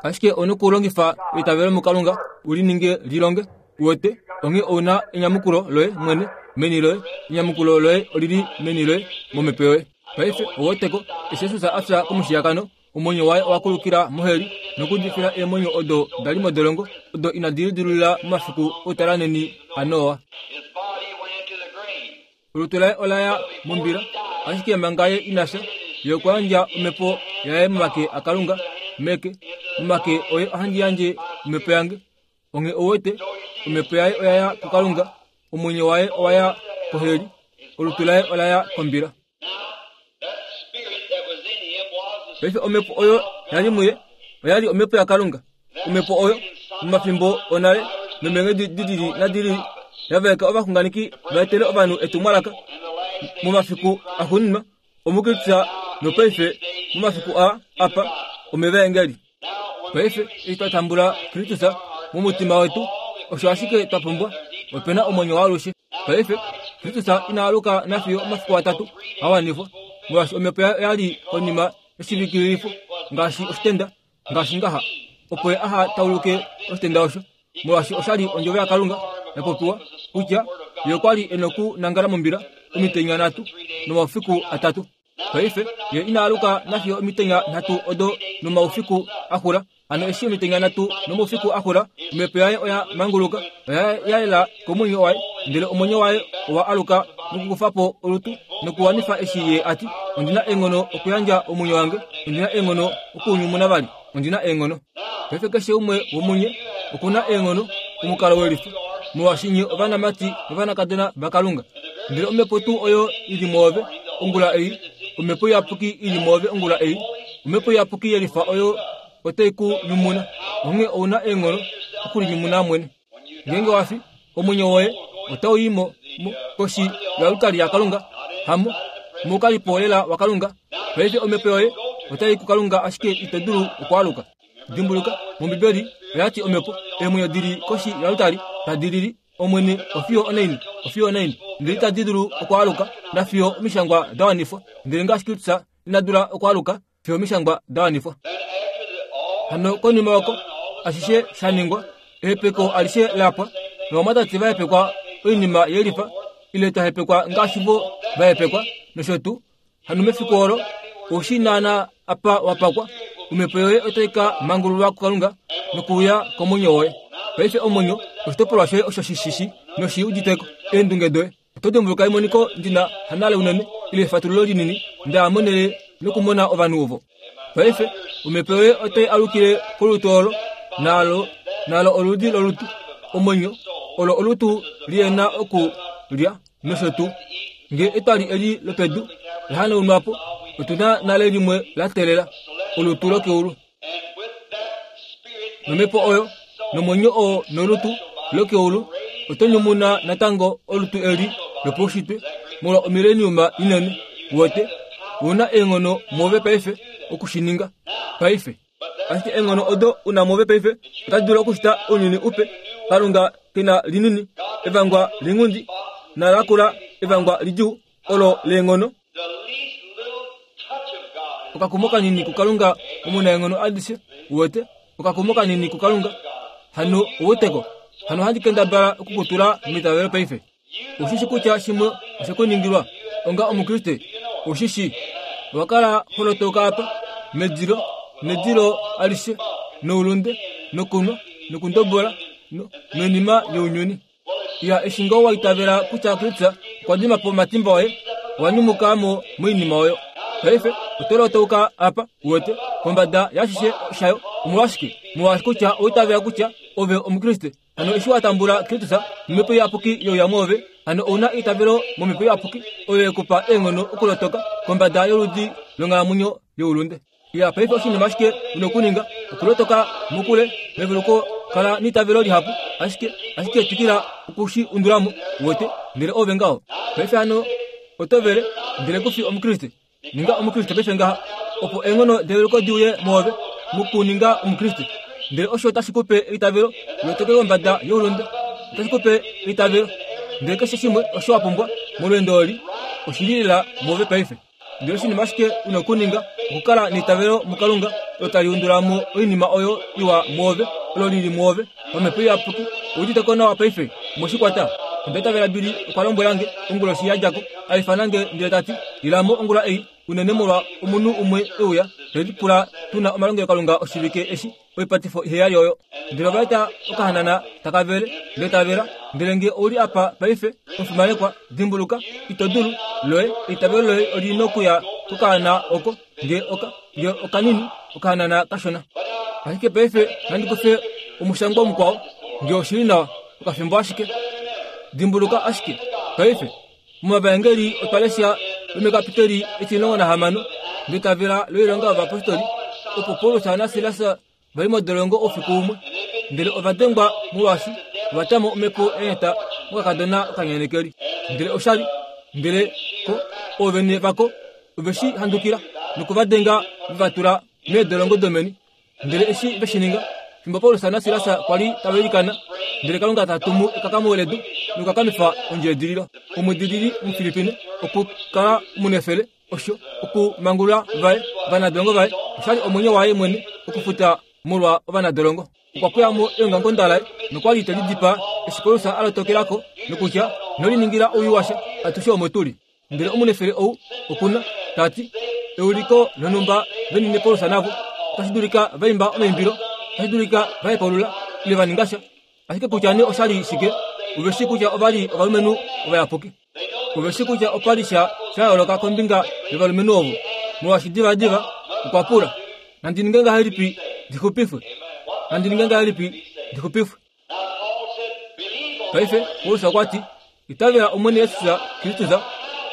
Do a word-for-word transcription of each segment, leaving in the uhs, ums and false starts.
Ashike onokulongifa eitavelo muKalunga u li ninge lilonge. Uwete, onghee ou na enyamukulo loye mwene meni loye. Enyamukulo loye olili meni loye momhepo yoye. Paife ouweteko, eshi Jesus a fya komushiyakano, omwenyo waye owa kulukila moheli nokudifila eemwenyo odo da li modolongo odo inadi lidilulula momafiku outalanheni aNoa. Olutu laye ola ya mombila, ashike manga ye ina fya, ye okwa yandja omhepo yaye momake aKalunga, meke, momake oye ohandi yandje omhepo yange. Onghee ouwete, omhepo yaye oya ya kuKalunga, omwenyo waye owa ya koheli, olutu laye ola ya kombila. Paife omhepo oyo ya li muye oya li omhepo yaKalunga. Omhepo oyo momafimbo onale nomeenghedi di lili nadi lili ya vaeka ovaxunganeki va etele ovanhu etumwalaka momafiku axuuninwa omuKristus nopaife momafiku aa apa omevaengeli. Paife eshi twa tambula Kristus momutima wetu, osho ashike twa pumbwa. Ope na omwenyo waalushe. Paife Kristus ina aluka nafiyo omafiku atatu a wanifwa, molwaashi omhepo oya li konima yoshivikililifo ngaashi oshitenda, ngaashi ngaha, opo ye aha tauluke oshitenda osho, molwaashi osha li ondjovo yaKalunga ya popiwa kutya ye okwa li e nokunangala mombila omitenya nhatu nomaufiku atatu. Paife ye ina aluka nafiyo omitenya nhatu odo nomaufiku a xula. Hano eshi omitenya nhatu nomaufiku a xula, omhepo yaye oya manguluka, oya yela komwenyo waye, ndele omwenyo waye owa aluka nokukufa po olutu nokuwanifa eshi ye a ti, ondi na eenghono okuyandja omwenyo wange, ondi na eenghono okuunyumuna vali, ondi na eenghono. Paife keshe umwe womunye oku na eenghono omukalo welifa, molwaashi nye ovanamati novanakadona vaKalunga. Ndele omhepo tuu oyo i li mwoove ongula ei, omhepo iyapuki i li mwoove ongula ei, omhepo iyapuki yelifa oyo otai ku nyumuna. Onghee ou na eenghono okulinyumuna mwene. Ngeenge wa fi, omwenyo woye otau i mo koshi yoaltari yaKalunga, hamo moukalipo lela waKalunga. Paife omhepo yoye otai kuKalunga, ashike ito dulu okwaaluka. Dimbuluka, mOmbibeli oya ti omhepo eemwenyo di li koshi yoaltari tadi lili Omwene ofiyo onaini, ofiyo onaini, ndele itadi dulu okwaaluka nafiyo omishangwa da wanifwa. Ndele ngaashi Kristus ina dula okwaaluka fiyo omishangwa da wanifwa. Hano konima oko ashishe sha ningwa, ehepeko alishe la pwa, novamwatate va hepekwa oinima yelifa, ile twa hepekwa ngaashi vo va hepekwa, nosho tuu. Hano mefiku olo, oushi naana apa wa pakwa, omhepo yoye otai ka mangululwa kuKalunga nokuuya komwenyo woye. Paife omwenyo oshitopolwa shoye osho shi shishi noshi uditeko eendunge doye. Oto dimbuluka emoniko ndi na hanale unene ile efatululo linini nda monele nokumona ovanhu ovo. Paife omhepo yoye otai alukile kolutu olo, nalo nalo oludi lolutu, omwenyo olo olutu li na oku lya nosho tuu. Nge etwali eli lopedu la hanaunwa po, otu na nale limwe la teelela, olutu lokeulu. Nomhepo oyo nomwenyo oo nolutu lokeulu oto nyumuna natango olutu eli lopaushitwe molwa omileniuma inene. Uwete, ou na eenghono mwoove paife oku shi ninga paife. Ashike eenghono odo u na mwoove paife otadi dulu okushita ounyuni upe. Kalunga ke na linini, evangwa linghundi nalakula, evangwa lidjuu olo leenghono. Okakumo kanini kuKalunga omunaenghono adishe. Uwete, okakumo kanini kuKalunga. Hano ouweteko, hano ohandi kendabala okukutula meitavelo paife. Ushishi kutya shimwe oshe ku ningilwa onga Omukriste. Ushishi owa kala ho lotoka apa medilo nedilo alishe noulunde nokunwa nokundobola noinima younyuni. Ya eshi ngoo wa itavela kutya Kristus okwa dima po omatimba oye, owa nyumuka mo moinima oyo. Paife oto lotauka apa, uwete, kombada yaashishe shayo. Omolwashike? Molwaashi kutya owa itavela kutya ove Omukriste. Hano eshi wa tambula Kristus nomhepo iyapuki youya mwoove, hano ou na eitavelo momhepo iyapuki oyo ye ku pa eenghono okulotoka kombada yoludi longhalamwenyo youlunde. Ya paife oshinima ashike u nokuninga okulotoka mokule meveluko, kala neitavelo lihapu, ashike ashike twikila okushi undulamo, uwete, ndele ove ngaho. Paife hano oto vele, ndele ku fi Omukriste. Ninga Omukriste paife ngaha, opo eenghono develuko di uye mwoove mokuninga Omukriste. Ndele osho otashi ku pe eitavelo lotoke kombada youlunde, otashi ku pe eitavelo. Ndele keshe shimwe osho wa pumbwa molweendo oli oshi li lela mwoove paife. Ndele oshinima ashike u nokuninga okukala neitavelo muKalunga olo tali undula mo oinima oyo iwa mwoove, olo lili mwoove, pamhepo iyapuki. Oudite ko nawa paife, moshikwata. Onda itavela Billy okwa lombwela nge onguloshi ya dja ko, a ifana nge ndele ta ti, ilamo ongula ei, unene molwa omunhu umwe e uya, te lipula tu na omalongelokalunga oshivike eshi, oipatifo iheyali oyo. Ndele ova eta okahanana taka vele, ndele ta vela, ndele nge ouli apa paife, omufimanekwa, dimbuluka, ito dulu, loye, eitavelo loye oli nokuya kokaana oko, nge oka, nge okanini, okahanana kashona. Ashike paife nandi kufe omushangwa mukwao, nge oshili nawa, okafimbo ashike. Dimbuluka ashike, paife, momavaengeli otwa lesha lomekapiteli etimulongo nahamano, ndetavela loilonga yovapostoli, opo Paulus naSilas va li modolongo oufiku umwe, ndele ova dengwa molwaashi ova tya mo omhepo ya nyata mokakadona okanyanekeli. Ndele oshali, ndele ko oovene vako ove shi handukila nokuvadenga ve va tula meedolongo domeni. Ndele eshi ve shi ninga, fimbo Paulus naSilas kwa li tava ilikana, ndele Kalunga ta tumu ekakamo ledu nokukakamifa ondjeedililo. Omudilili Omufilipine okukala omunefele, osho okumangulula vaye ovanadolongo vaye, oshali omwenyo waye mwene okufuta molwa ovanadolongo. Okwa pweya mo eongamukonda laye nokwa li te lidipaa eshi Paulus a lotokela ko nokutya, ino liningila owii washa, atushe omo tuli. Ndele omunefele ou okuna, ta ti, euliko lonhumba venine Paulus navo, otashi dulika va imba omaimbilo, otashi dulika va hepaulula, ile va ninga sha. Ashike kutya nee oshali shike, ove shii kutya ova li ovalumenhu ovayapuki. Ove shii kutya opa li sha sha yooloka kombinga yovalumenhu ovo, molwaashi divadiva okwa pula, nandi ninge ngahelipi ndi xupifwe? Nandi ninge ngahelipi ndi xupifwe? Paife Paulus okwa ti, itavela Omwene Jesus Kristus,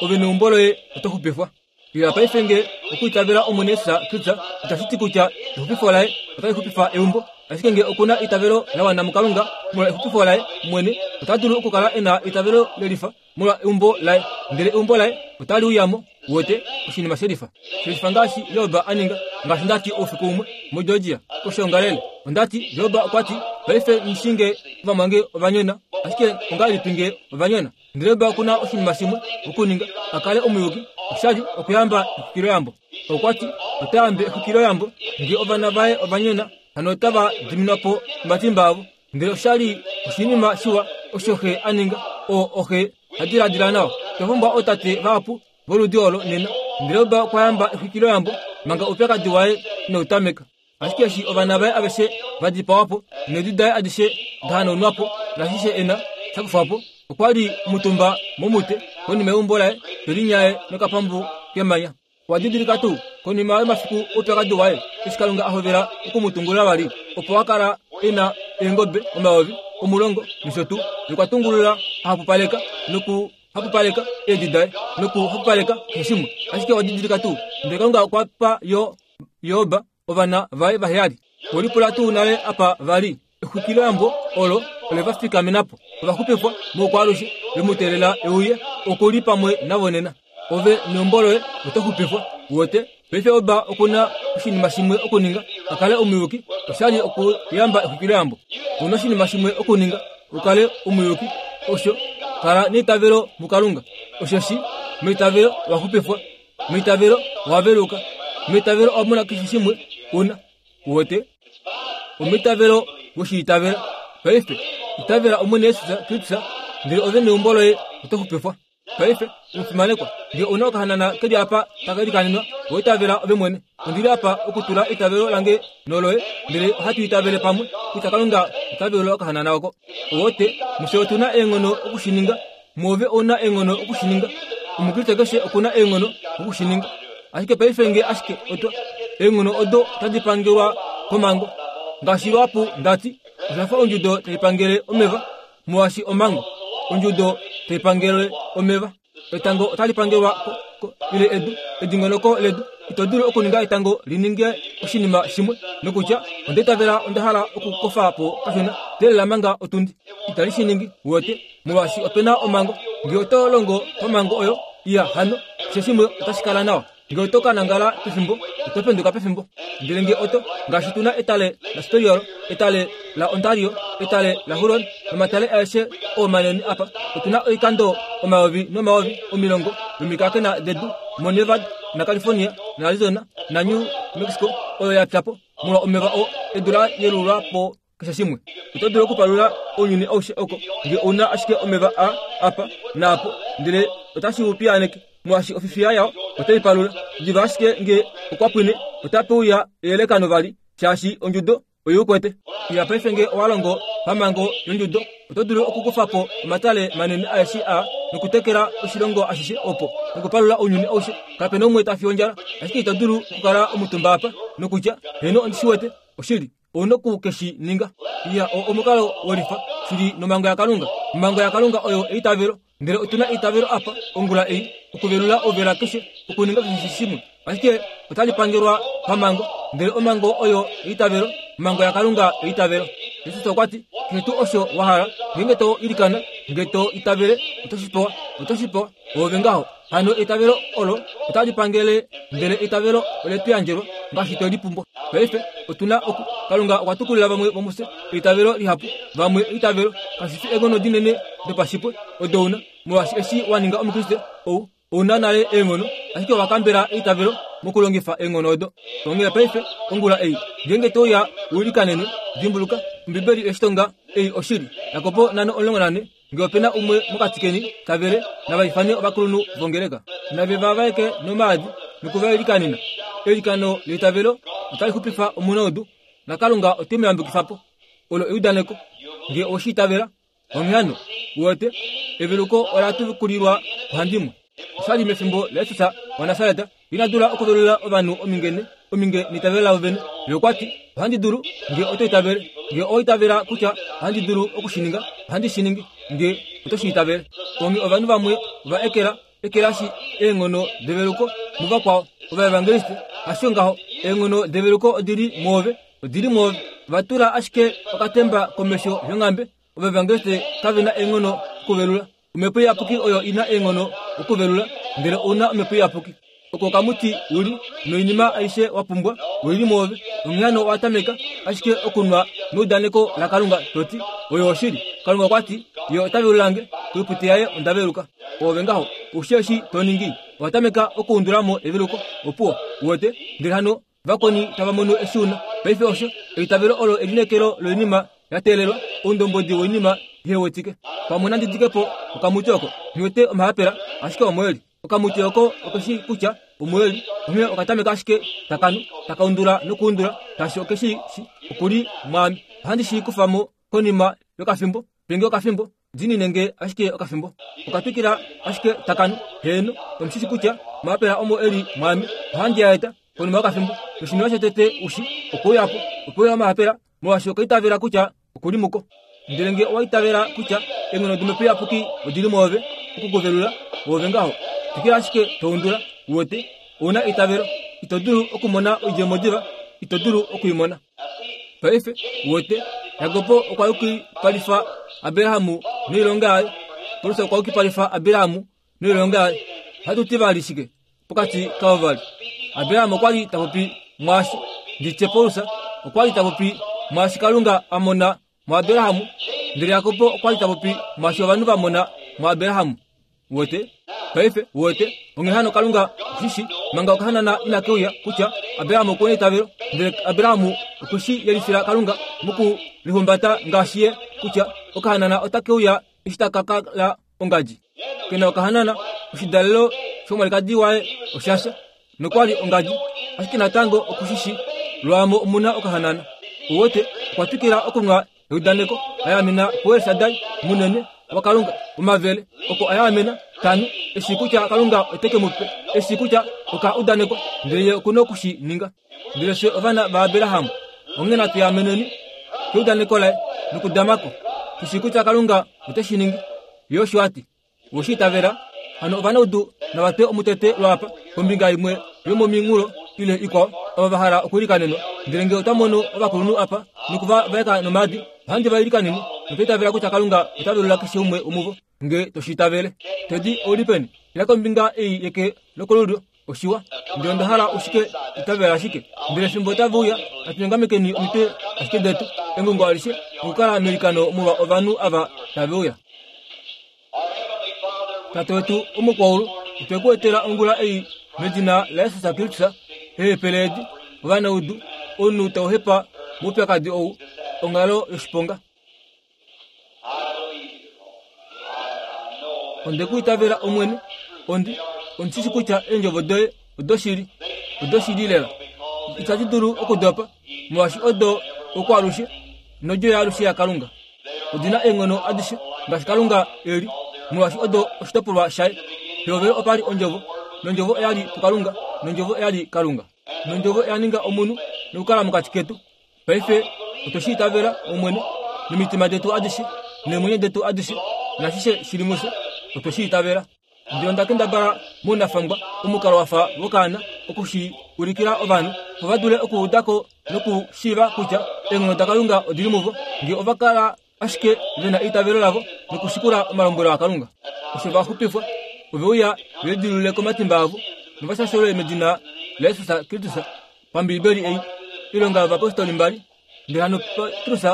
ove neumbo loye oto xupifwa. Ila paife nge okuitavela Omwene Jesus Kristus itashi ti kutya exupifo laye otali xupifa eumbo, ashike nge okuna eitavelo la wana muKalunga molwa exupifo laye mwene, ota dulu okukala e na eitavelo lelifa molwa eumbo laye, ndele eumbo laye otali uyamo. Wote oshinima shelifa shelifa ngaashi Job a ninga, ngaashi ndati oufiku umwe moGeorgia koshoongalele. Ondati Job okwa ti, paife nghi nge ovamwange ovanyona, ashike ongahelipi nge ovanyona? Ndele Job okuna oshinima shimwe okuninga a kale omuyuki, oshali okuyamba exwikiloyambo. Okwa ti ota yambe exwikiloyambo nge ovana vaye ovanyona, hano otava diminwa po omatimba avo. Ndele oshali oshinima shiwa osho xe a ninga, oo oxe ha diladila nawa. Otwa pumbwa ootate vahapu voludi olo nena. Ndele Job okwa yamba exwikiloyambo manga oupyakadi waye inau tameka. Ashike eshi ovana vaye aveshe va dipawa po, needi daye adishe da hanaunwa po, nashishe e na sha kufwa po, okwa li omutumba momute konima yeumbo laye, te linyaye nokapambu kemanya. Okwa didilika tuu konima yomafiku oupyakadi waye, eshi Kalunga a hovela okumutungulula vali, opo a kala e na eengobe omayovi omulongo nosho tuu, nokwa tungulula a hapupaleka nokuhapupaleka eedi daye nokuhapupaleka keshe shimwe. Ashike owa didilika tuu, ndele Kalunga okwa pa yo Job ovana vaye vaheyali. Olipula tuu nale apa vali exwikiloyambo olo ole va fikamena po, ova xupifwa moukwaalushe, ve mu teelela euye, oku li pamwe navo nena. Ove neumbo loye oto xupifwa. Wote paife Job okuna oshinima shimwe okuninga a kale omuyuki, oshali okuyamba exwikiloyambo. Una oshinima shimwe okuninga u kale omuyuki, osho kala neitavelo muKalunga. Osheshi meitavelo owa xupifwa, meitavelo owa veluka, meitavelo owa mona keshe shimwe una. Wote omeitavelo woshiitavela. Paife itavela Omwene Jesus Kristus, ndele ove neumbo loye oto xupifwa. Paife omufimanekwa, nge ouna okahanana keli apa taka ilikanenwa, owa itavela ove mwene. Ondili apa okutula eitavelo lange noloye, ndele ohatu itavele pamwe kutya Kalunga ota velula okahanana oko. Owote mufye otuna eenghono okushininga, mwoove ouna eenghono okushininga, omukriste keshe okuna eenghono okushininga. Ashike paife nge ashike otwa eenghono odo otadi pangelwa komhango, ngaashi luhapu ndati, osha fa ondjudo tai pangele omeva, molwaashi omhango ondjudo tai pangele omeva. Etango otali pangelwa ko, ko, ile edu, edingonoko ledu. Ito dulu okuninga etango li ninge oshinima shimwe nokutya onda itavela onda hala okukofa po kashona, teelela manga otundi. Itali shi ningi, wote, molwaashi opena omhango. Nge oto longo pamhango oyo, iya hano, keshe shimwe otashi kala nawa. Nge oto ka nangala pefimbo, oto penduka pefimbo. Ndele nge oto, ngaashi tuna etale la Superior, etale la Ontario, etale la Huron, nomatale aeshe oo manene apa, otuna oikando omayovi nomayovi omilongo yomikakena dedu moNevada. naCalifornia, naArizona, naNew Mexico oyo ya pya po molwa omeva oo edu la yelulwa po keshe shimwe. Oto dulu okupalula ounyuni aushe oko ngee ouna ashike omeva a apa naapo, ndele otashi u piyaaneke molwaashi ofifiya yao otai palula. Diva ashike ngee okwa pwine, otape uya eyelekano vali shaashi ondjudo oi ukwete. Iya paife ngee owa longo pamhango yondjudo, oto dulu okukufa po omatale manene aeshe aa nokutekela oshilongo ashishe opo nokupalula ounyuni aushe. Kape na umwe ta fi ondjala, ashike ito dulu okukala omutumba apa nokutya heeno ondi shi wete oshili. Ouna oku ke shi ninga. Iya, oo omukalo wolifa shili nomhango yaKalunga. Omhango yaKalunga oyo eitavelo, ndele otu na eitavelo apa ongula ei okuvelula ouvela keshe, okuninga keshe shimwe. Ashike otali pangelwa pamhango, ndele omhango oyo eitavelo, omhango yaKalunga eitavelo. Jesus okwa ti, keshe tuu osho wa hala, ngeenge to ilikana, ngee to itavele, oto shi pewa, oto shi pewa, oove ngaho. Hano eitavelo olo otali pangele, ndele eitavelo ole tu yandjelwa ngaashi twe li pumbwa. Paife otu na oku Kalunga okwa tukulila vamwe vomufye eitavelo lihapu, vamwe eitavelo kashi fi eenghono dinene dopashipwe odo una, molwaashi eshi wa ninga Omukriste ou ouna nale eenghono, ashike owa kambela eitavelo mokulongifa eenghono odo. Onghee paife ongula ei ngeenge to uya u ilikanenwe, dimbuluka Ombibeli eshi tonga ei oshili. Jakobo nhano omulongo nane, ngee ope na umwe mokati keni tavele, nava ifane ovakulunhu vongeleka, nave va vaeke nomaadi nokuvailikanena. Eilikano leitavelo otali xupifa omunaudu, naKalunga ote mu yambukifa po. Olo eudaneko ngee oweshi itavela. Onghee hano uwete, eveluko ola tukulilwa kuhandimwe. Oshali mefimbo laJesus waNasaret, ina dula okuvelula ovanhu omingene ominge neitavelo lavo vene. Ye okwa ti, ohandi dulu ngee oto itavele. Ngee owa itavela kutya ohandi dulu okushininga, ohandi shi ningi ngee oto shi itavele. Onghee ovanhu vamwe ova ekela ekelashi eenghono develuko muvakwao ovaevangeliste. Hasho ngaho, eenghono develuko odili mwoove, odili mwoove. Va tula ashike okatemba komesho yonghambe. Ovaevangeliste kave na eenghono okuvelula. Omhepo Iyapuki oyo ina eenghono okuvelula, ndele ouna Omhepo Iyapuki. Oko okamuti uli noinima aishe wa pumbwa oili mwoove. Onghee hano owa tameka ashike okunwa meudaneko laKalunga to ti, oyo oshili. Kalunga okwa ti, ye ota velulange, koipute yaye onda veluka. Oove ngaho, oushi eshi to ningi, owa tameka okuundulamo eveluko, opuwo, uwete, ndele hano vakweni tava mono eshi una. Paife osho, eitavelo olo elineekelo loinima ya teelelwa, oundombwedi woinima ihe wetike. Pamwe nandi dike po okamuti oko, nghiwete omahapela, ashike omo eli. Okamuti oko okeshi kutya omo eli, onghee okatameka ashike takanu, takaundula nokuundula, shaashi okeshi shi okuli mwaame. Ohandi shi kufa mo konima yokafimbo, penge okafimbo, diinine nge ashike okafimbo. Okatwikila ashike takanu, heeno, omushishi kutya omahapela omo eli mwaame, ohandi a eta konima yokafimbo. Noshinima shotete ushi, okwe uya po, okwe uya omahapela, molwaashi okwa itavela kutya okuli muko. Ndele ngee owa itavela kutya eenghono dOmhepo Iyapuki odili mwoove okukuvelula, oove ngaho. Twikila ashike to undula, uwete, ouna eitavelo. Ito dulu okumona oidjemo diva, ito dulu okuimona. Paife uwete, Jakob okwa yukipalifa Abraham noilonga yaye. Paulus okwa yukipalifa Abraham noilonga yaye. Ohatu ti vali shike pokati kavo vali? Abraham okwa li ta popi mwaashi, nditye Paulus okwa li ta popi mwaashi Kalunga a mona muAbraham, ndele Jakob okwa li ta popi mwaashi ovanhu va mona muAbraham. Uwete? Paife uwete, onghee hano Kalunga oshishi manga okahanana ina ke uya kutya Abraham okuna eitavelo, ndele Abraham okwe shi yelifila Kalunga mokulihumbata ngaashi ye kutya okahanana ota ke uya eshi taka kala ongadji. Kena okahanana, oshidalelo shomwalikadi waye oshasha, nokwa li ongadji, ashike natango okushishi lwaamo omuna okahanana. Uwete, okwa twikila okunwa eudaneko, a yaamena kuElshadai munene waKalunga omavele, oko a yaamena tanu, eshi kutya Kalunga ote ke mu pe, eshi kutya oka udanekwa, ndele ye okuna okushi ninga. Ndele fye ovana vaAbraham, onghee natu yaameneni keudaneko laye nokudamako, tushi kutya Kalunga ote shi ningi. Ye osho a ti, oweshi itavela? Hano ovanaudu nava twe omutete lwaapa kombinga imwe yomominghulo ile ikwao, ava va hala okuilikanenwa. Ndele ngee otwa mono ovakulunhu apa nokuva vaeka nomaadi, ohandi va ilikanene nokwiitavela kutya Kalunga ota velula keshe umwe womuvo ngee toshi itavele. Tedi ouli peni? Ila kombinga ei yeke lokolulyo, oshiwa. Ndele onda hala ushike itavela ashike. Ndele fimbo otava uya, natu nyongamekeni omitwe ashike detu, engungo alishe, nokukala meilikano molwa ovanhu ava tave uya. Tate wetu omukwaulu, otwe ku etela ongula ei Medina laJesus Kristus, eehepele edi, ovanaudu, omunhu tau hepa moupyakadi ou, onghalo yoshiponga. Onde ku itavela Omwene, ondi ondishi kutya eendjovo doye odoshili, odoshili lela. Itadi dulu okudopa, molwaashi odo okwaalushe nodjo yaalushe yaKalunga. Odina eenghono adishe ngaashi Kalunga eli, molwaashi odo oshitopolwa shaye. Pehovelo opa li ondjovo, nondjovo oya li puKalunga, nondjovo oya li Kalunga. Nondjovo oya ninga omunhu nokukala mokati ketu. Paife otwe shi itavela Omwene nomitima detu adishe, neemwenyo detu adishe, nashishe shili mufye, otwe shi itavela. Ndele onda kendabala mounafangwa omukalo wa fa wokaana okushi ulikila ovanhu opo va dule okuuda ko nokushiiva kutya eenghono daKalunga odili muvo, ngee ova kala ashike ve na eitavelo lavo nokushikula omalombwelo aKalunga. Osho va xupifwa, ove uya ve lidilulule komatimba avo novashashelwe medina laJesus Kristus pambiibeli ei, Oilonga yOvapostoli mbali. Ndele hano Petrus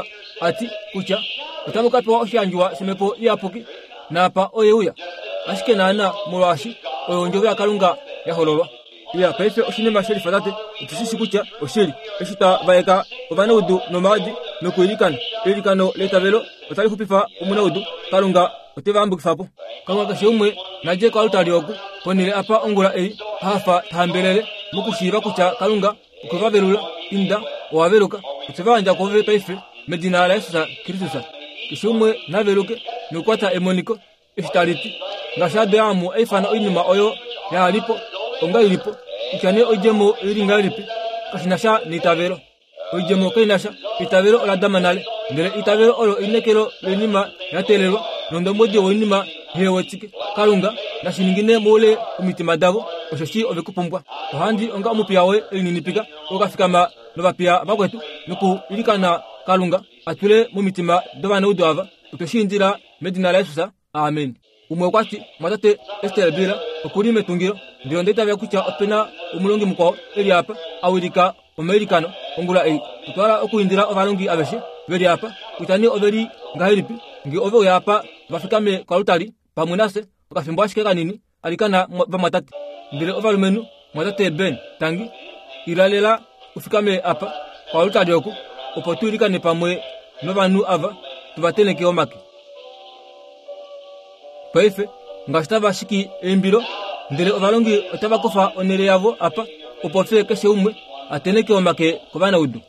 a ti kutya otamu ka pewa oshiyandjiwa shOmhepo Iyapuki, naapa oye uya ashike naana molwaashi oyo ondjovo yaKalunga ya hololwa. Iya, paife oshinima shelifa tate, otu shi shi kutya oshili. Eshi twa vaeka ovanaudu nomaadi nokuilikana, eilikano leitavelo otali xupifa omunaudu, Kalunga ote va yambukifa po. Kalunga keshe umwe na dje koaltari oku, ponhele apa ongula ei, hafa ta hambelele mokushiiva kutya Kalunga okwe va velula. Inda, owa veluka. Otwe va yandja kwoove paife medina laJesus Kristus. Keshe umwe na veluke nokukwata emoniko eshi tali ti, ngaashi Abraham a ifana oinima oyo ya li po onga ili po, kutya nee oidjemo oili ngahelipi, kashi na sha neitavelo. Oidjemo kai na sha, eitavelo ola dama nale. Ndele eitavelo olo einekelo loinima ya teelelwa, nondombwedi woinima ihe wetike. Kalunga nashi ningine moule omitima davo, osheshi ove ku pumbwa. Ohandi onga omupiya woye elininipika, oo ka fikama novapiya vakwetu nokuilikana Kalunga a tule momitima dovanaudu ava. Otwe shi indila medina laJesus, amen. Umwe okwa ti, mwatate Ester Bila okuli metungilo, ndele onda itavela kutya ope na omulongi mukwao e li apa a wilika omailikano ongula ei. Otwa hala okuindila ovalongi aveshe ve li apa, kutya nee ove li ngahelipi, ngee ove uya apa va fikame koaltari pamwe nafye okafimbo ashike kanini, alikana vamwatate. Ndele ovalumenhu, mwatate Ben, tangi, ila lela u fikame apa koaltari oku, opo tu ilikane pamwe novanhu ava, tu va tenheke omake. Paife ngaashi tava shiki eimbilo, ndele ovalongi otava kufa onhele yavo apa, opo fye keshe umwe a tenheke omake kovanaudu.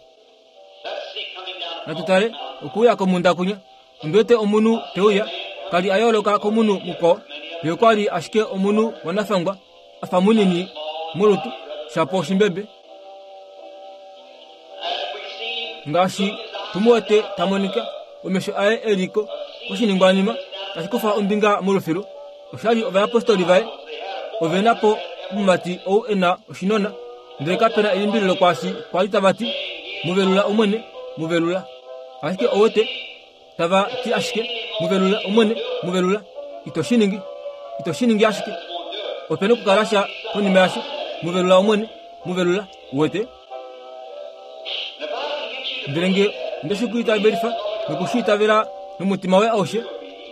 Natu tale okuuya komunda kunya. Ondi wete omunhu te uya, ka li a yooloka komunhu mukwao. Ye okwa li ashike omunhu wanafangwa, a fa munini molutu, shapo oshimbebe. Ngaashi tu mu wete ta monika, omesho aye e li ko koshiningwanima tashi kufa ombinga molufilu. Osha li ovayapostoli vaye ove na po omumati ou e na oshinona, ndele kape na elimbililo kwaashi kwa li tava ti, Mu velula Omwene, mu velula. Ashike owete tava ti ashike, mu velula Omwene, mu velula. Ito shi ningi, ito shi ningi ashike. Ope na okukala sha konima yasho, mu velula Omwene, mu velula. Uwete? Ndele nge onde shi ku itavelifa noku shi itavela nomutima woye aushe,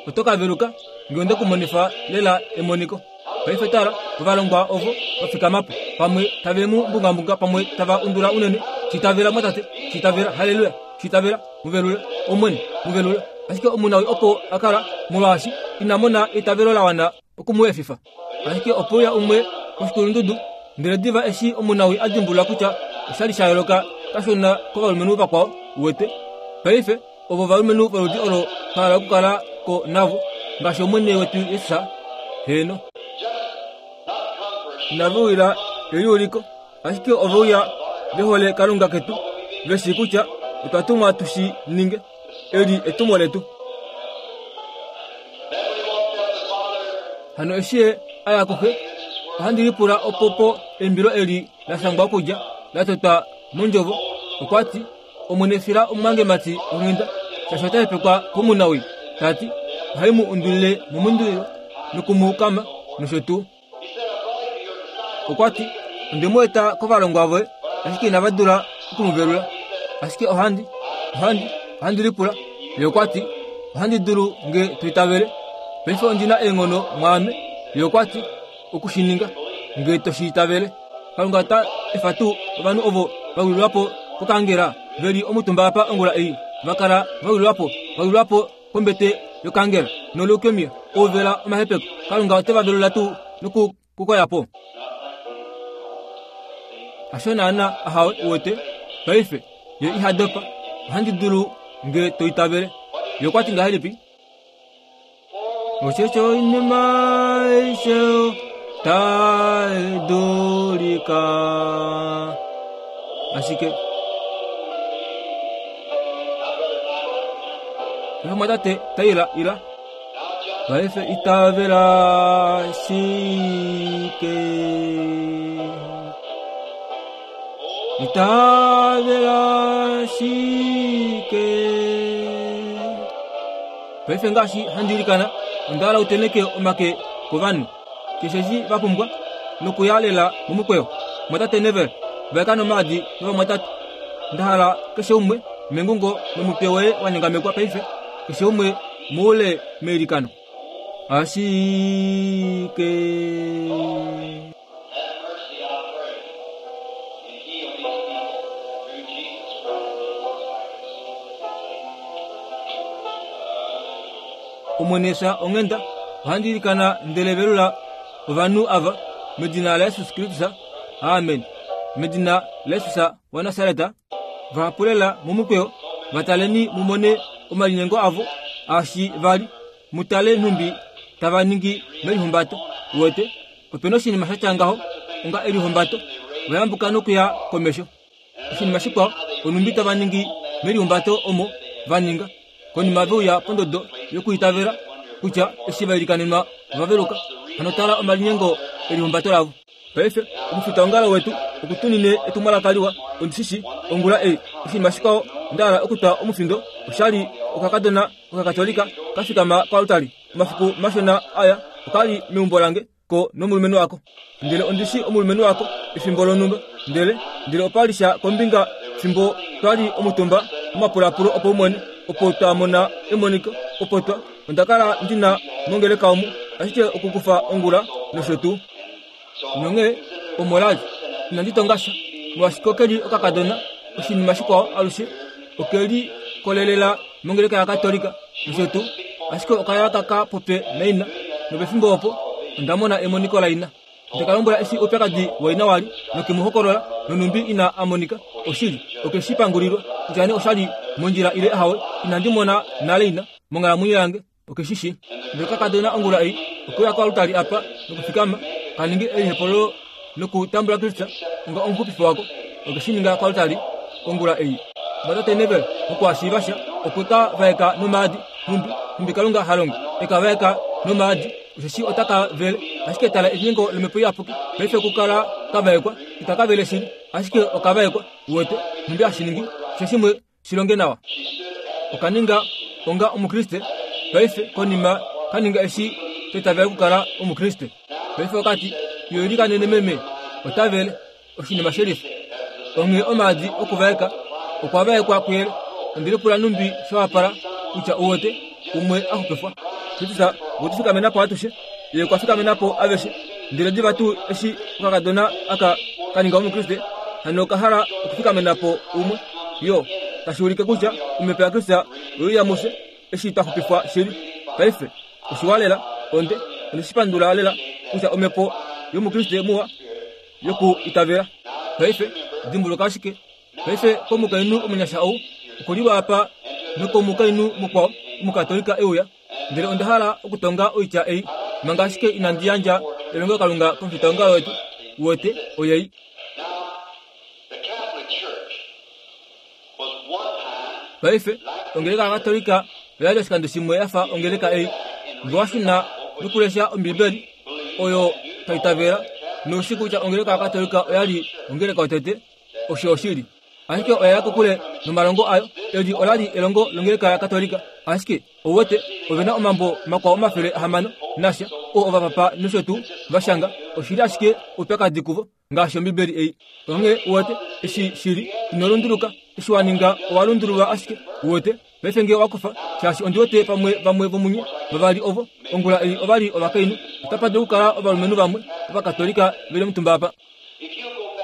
oto ka veluka nge onde ku monifa lela emoniko. Paife tala, ovalongwa ovo va fikama po, pamwe tave mu mbungambunga, pamwe tava undula unene. Shi itavela mwatate, shi itavela, haleluya, shi itavela, mu velula Omwene, mu velula. Ashike omunawii opo a kala, molwaashi ina mona eitavelo la wana oku mu efifa. Ashike ope uya umwe koshikulundudu, ndele diva eshi omunawii a dimbulula kutya osha li sha yooloka kashona kovalumenhu vakwao, uwete. Paife ovo ovalumenhu voludi olo twa hala okukala ko navo, ngaashi Omwene wetu Jesus. Heeno. Inave uya eliuliko, ashike ove uya ve hole Kalunga ketu, ve shii kutya otwa tumwa tu shi ninge. Eli etumo letu. Hano eshi ye a ya kuxe, ohandi lipula opo po eimbilo eli la shangwa okudja la totwa mondjovo. Okwa ti, Omwene fila omumwangemati onghenda, shaashi ota hepekwa komunawii. Ta ti, ohai mu undulile momundilo noku mu kama nosho tuu. Okwa ti, onde mu eta kovalongwa voye, ashike inava dula oku mu velula. Ashike ohandi, ohandi, ohandi lipula. Ye okwa ti, ohandi dulu nge to itavele. Paife ondi na eenghono mwaame. Ye okwa ti, oku shi ninga. nge to shi itavele. Kalunga ota efa tuu ovanhu ovo va wililwa po kokangela ve li omutumba apa ongula ei, va kala va wililwa po, va wililwa po kombete yokangela noleukemia, ouvela omahepeko. Kalunga ote va velula tuu noku kukoya po? Hasho naana, ahawe, uwete. Paife ye iha dopa, ohandi dulu nge to itavele. Ye okwa ti ngahelipi? Osheshi oinima aishe tai dulika. Ashike mwatate taila ila paife itavela shike, itavela shike. Paife ngaashi handi ilikana, onda hala uteneke omake kovanhu keshe eshi va pumbwa nokuyalela momukweyo. Mwatate Nevel, vaeka nomaadi novamwatate. Nda hala keshe umwe mengungo nomutwe woye wa nyongamekwa paife, keshe umwe moule meilikano. Ashike Omwene fya onghenda, ohandi ilikana ndele velula ovanhu ava medina laJesus Kristus. Amen. Medina laJesus waNasareta, vahapulela momukweyo, vataleni mumone omalinyengo avo ashi vali, mutale nhumbi tava ningi melihumbato. Uwete, opena oshinima sha tya ngaho onga elihumbato, vayambuka nokuya komesho. Oshinima shikwao, onhumbi tava ningi melihumbato omo va ninga konima veuya pondodo yokuitavela kutya eshi va ilikanenwa ova veluka. Hano tala omalinyengo elihumbato lavo. Paife omufitaongalo wetu okutunine etumwalaka liwa, ondishishi ongula ei. Oshinima shikwao nda hala okutwa omufindo, oshali okakadona okakatolika kafikama koaltari omafiku mashona aya, okali meumbo lange ko nomulumenhu wako. Ndele ondishi omulumenhu wako efimbo lonhumba, ndele ndele opali sha kombinga fimbo twali omutumba omapulapulo opaumwene, opo twa mona emoniko, opo twa onda kala ndina mongeleka omu, ashike okukufa ongula nosho tuu. Nonge omolali inandi tonga sha, molwaashi okeli okakadona oshinima shikwao alushe okeli kolelela mongeleka yakatolika nosho tuu, ashike okaya kaka popye naina, nopefimbo opo onda mona emoniko laina. Ndeka lombwela eshi oupyakadi waina wali, nokemuhokolola nonumbi ina amonika. Oshili okeshi pangulilwa kutya nee oshali mondjila ile ahawe, inandi mona nale ina monghalamwenyo yange, okeshishi. Ndele kakadona ongula ei okeuya koaltari apa nokufikama kaningi elihepolo nokutambula Kristus onga omuxupifi wako, okeshi ninga koaltari ongula ei. Mwatate Nevel mokuhashiiva sha, okwe ka vaeka nomaadi, nhumbi nhumbi Kalunga ha longo, eka vaeka nomaadi, osheshi ota ka vele. Ashike tala elinyengo lomhepo iyapuki, paife okukala ka vaekwa, itaka vele shili, ashike oka vaekwa. Uwete nhumbi hashi ningi keshe shimwe shi longe nawa. Okaninga onga omukriste paife, konima kaninga eshi toitavela okukala omukriste. Paife okati, yo ilikanene meme, ota vele oshinima shelifa. Onghee omaadi okuvaeka okwa vaekwa kuyele. Ondili pula numbi shawapala kutya uwete umwe a xupifwa. Kristus okwe tu fikamena po atushe, ye okwa fikamena po aveshe. Ndele diva tuu eshi okakadona aka kaninga omukriste, hano oka hala okufikamena po umwe, yo tashi ulike kutya omhepo yaKristus oyo mufye eshi twa xupifwa shili. Paife oshiwa lela, onde ondeshi pandula lela kutya omhepo yomukriste muwa yoku itavela. Paife dimbuluka ashike, paife komukainhu omunyasha ou okuliwa apa nokomukainhu mukwao omukatolika euya. Ndele onda hala okutonga oitya ei manga ashike inandi yandja elongelokalunga komufitaongalo wetu. Uwete, oyei. Paife ongeleka yakatolika oya li oshikando shimwe ya fa ongeleka ei. Nge wa shuna nokulesha Ombibeli oyo twa itavela, noushi kutya ongeleka yakatolika oya li ongeleka yotete, osho oshili. Ashike oya ya kokule nomalongo ayo. Eli ola li elongo longeleka yakatolika, ashike ouwete ove na omambo makwao omafele ahamano nasha oo ovapapa nosho tuu va shanga. Oshili ashike oupyakadi kuvo ngaashi Ombibeli ei. Onghee uwete eshi shili, ino lunduluka. Eshi wa ninga owa lundululwa ashike. Uwete paife nge owa kufa, shaashi ondi wete pamwe vamwe vomunye Vavali ovo ongula ei ova li ovakainhu. Otapa dulu okukala ovalumenhu vamwe Ovakatolika ve li omutumba apa.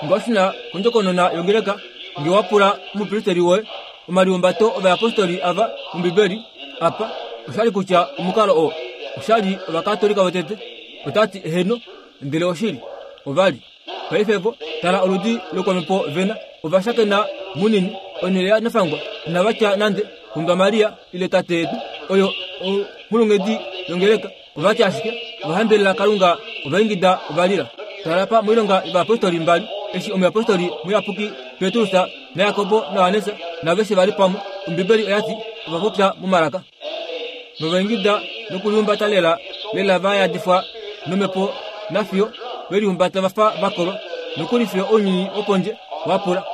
Ngwashina kondjokonona yongeleka nge wa pula omupristeli woye omalihumbato ovayapostoli ava mOmbibeli apa oshali kutya omukalo oo oshali Ovakatolika votete. Otati eheno, ndele oshili ovali. Paife vo tala oludi lokwamhepo vena ovashakena munini onhele ya nafangwa inava tya nande kundwa Maria ile tate yetu oyo onghulunghedi yongeleka. Ova tya ashike ovahambelela Kalunga, ovaingida, ovalila. Tala pa moilonga yovayapostoli mbali eshi omuyapostoli muyapuki Petrus naJakobo naJohannes naveshe vali pamwe. Ombibeli oya ti ova popya momalaka novaingida nokulihumbata lela lela va yadifwa nomhepo nafiyo velihumbata vafa vakolwa nokuli fiyo ounyuni wopondje wa pula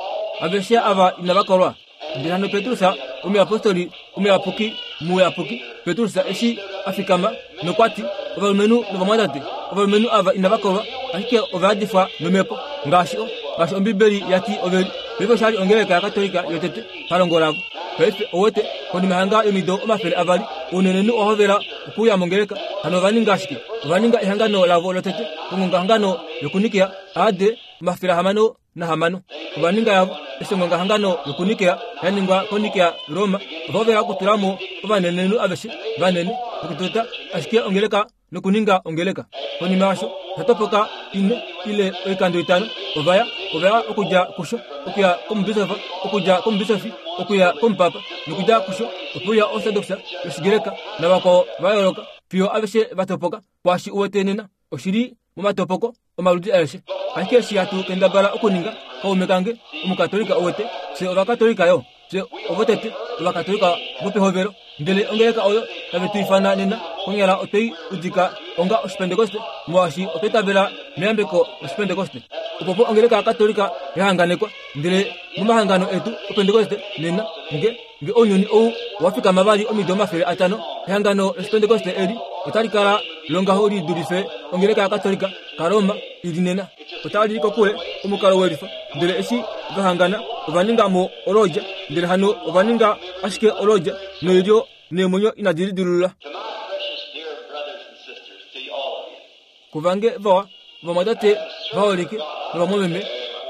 aveshe ava inava kolwa. Ndele hano Petrus omuyapostoli omuyapuki muyapuki Petrus eshi a fikama nokwa ti ovalumenhu novamwatate ovalumenhu ava inava kolwa ashike ova yadifwa nomhepo ngaashi o ngaashi Ombibeli ya ti oveli. Paife oshali ongeleka yaKatolika yotete palongo lavo. Paife owete konima hanga yomido omafele avali ounenenhu owa hovela okuuya mongeleka. Hano ova ninga ashike ova ninga ehangano lavo lotete kongongahangano yokuNikea A D omafele ahamano nahamano. Ova ninga yavo eshi ongongahangano yokuNikea ya ningwa koNikea Roma. Ova hovela okutula mo ovanenenhu aveshe vanene nokutota ashike ongeleka nokuninga ongeleka. Konima yasho osha ine ile oikando itano. Ovaya ovaya okudja kusho okuya komubisofi okudja komubisofi okuya komupapa nokudja kusho okuya Orthodox yOshigreka navakwao va yooloka fiyo aveshe va topoka. Kwaashi uwete nena oshili momatopoko omaludi aeshe. Ashike eshi hatu kendabala okuninga kaume kange omukatolika uwete fye Ovakatolika yo fye ovotete Ovakatolika vopehovelo. Ndele ongeleka oyo tave tu ifana nena konyala otwei udika onga Oshipentekoste molwaashi otwa itavela meyambeko lOshipentekoste. Opo po ongeleka yaKatolika ya hanganekwa. Ndele momahangano etu Opentekoste nena nge nge ounyuni ou owa fikama vali omido omafele atano ehangano lOshipentekoste eli otali kala longaho li dulife ongeleka yaKatolika kaRoma ili nena. Otali li kokule omukalo welifa. Ndele eshi va hangana ova ninga mo olodja ndele hano ova ninga ashike olodja noilyo neemwenyo inadi lidilulula. To my precious dear brothers and sisters, to all of you, Kuvange vawa ovamwatate vaholike novamwameme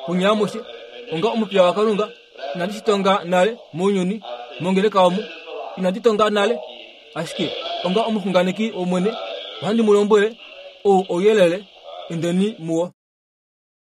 kunye amushe onga omupiya waKalunga inandi shi tonga nale mounyuni mongeleka omu inandi tonga nale ashike onga omuxunganeki wOmwene ohandi mu lombwele ou ouyelele indeni muwo.